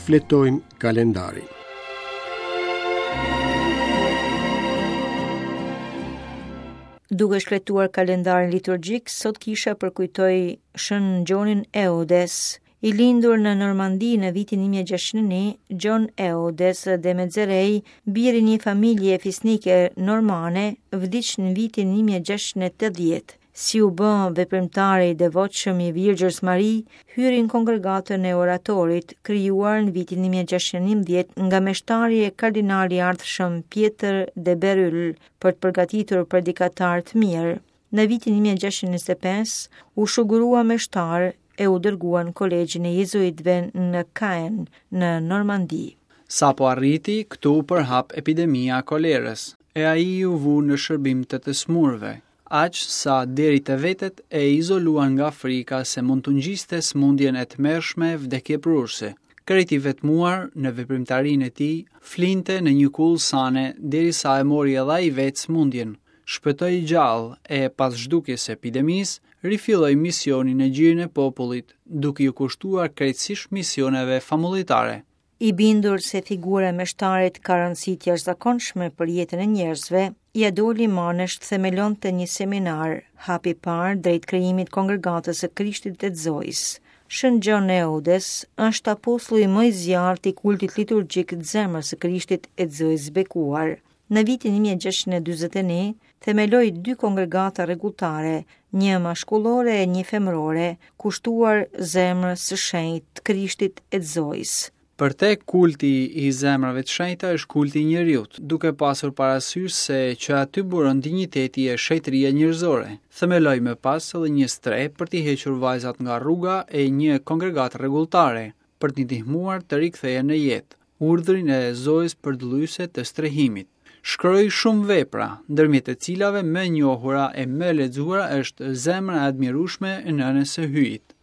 Shfletojmë kalendarin. Duke shfletuar kalendarin liturgjik, sot kisha përkujtoi Shën Gjonin Eudes, I lindur në Normandi në vitin 1601, Gjon Eudes de Mezerei, bir i një familje fisnike normane, vdiq në vitin 1680. Si u bë veprimtar i devotshëm i Virgjërës Mari, hyri në kongregatën e oratorit, krijuar në vitin 1611 nga meshtari e kardinali i ardhshëm Pjetër de Beryl për të përgatitur predikatarë të mirë. Në vitin 1625 u shugurua meshtar e u dërgua në kolegjin e jezuitëve në Caen, në Normandi. Sapo arriti, këtu u përhap epidemia e kolerës, e ai u vu në shërbim të të smurëve, aq sa deri të vetët e izoluan nga frika se mund t'u ngjiste sëmundjen e tmerrshme vdekjeprurëse. Krejt i vetmuar në veprimtarinë e tij, flinte në një kullë sane derisa e mori edhe ai vetë sëmundjen, Shpëtoi i gjallë e, pas zhdukjes së epidemisë, rifilloi misionin në gjirin e popullit, duke iu kushtuar krejtësisht misioneve famullitare. I bindur se figura e meshtarit ka rëndësi të jashtëzakonshme për jetën e njerëzve, ia doli mbanë të themelonte një seminar, hap i parë drejt krijimit të Kongregatës së Krishtit e të Zojës. Shën Gjon Eudes është apostulli më i zjarrtë i kultit liturgjik të Zemrës së Krishtit e të Zojës së Bekuar. Në vitin 1641, themeloi dy kongregata rregulltare, një mashkullore e një femërore, kushtuar zemrës së shenjtë të Krishtit e të Zojës. Për te kulti i zemrave të shenjta është kulti i njeriut, duke pasur parasysh se që aty buron dinjiteti e shenjtëria njerëzore. Themeloi më pas edhe një strehë për t'i hequr vajzat nga rruga e një kongregatë rregulltare, për t'i ndihmuar të rikthehen në jetë. Urdhrin e Zojës Përdëllyese të Strehimit. Shkroi shumë vepra, ndërmjet të cilave më e njohura e më e lexuara është Zemra e admirueshme e Nënës së Hyjit.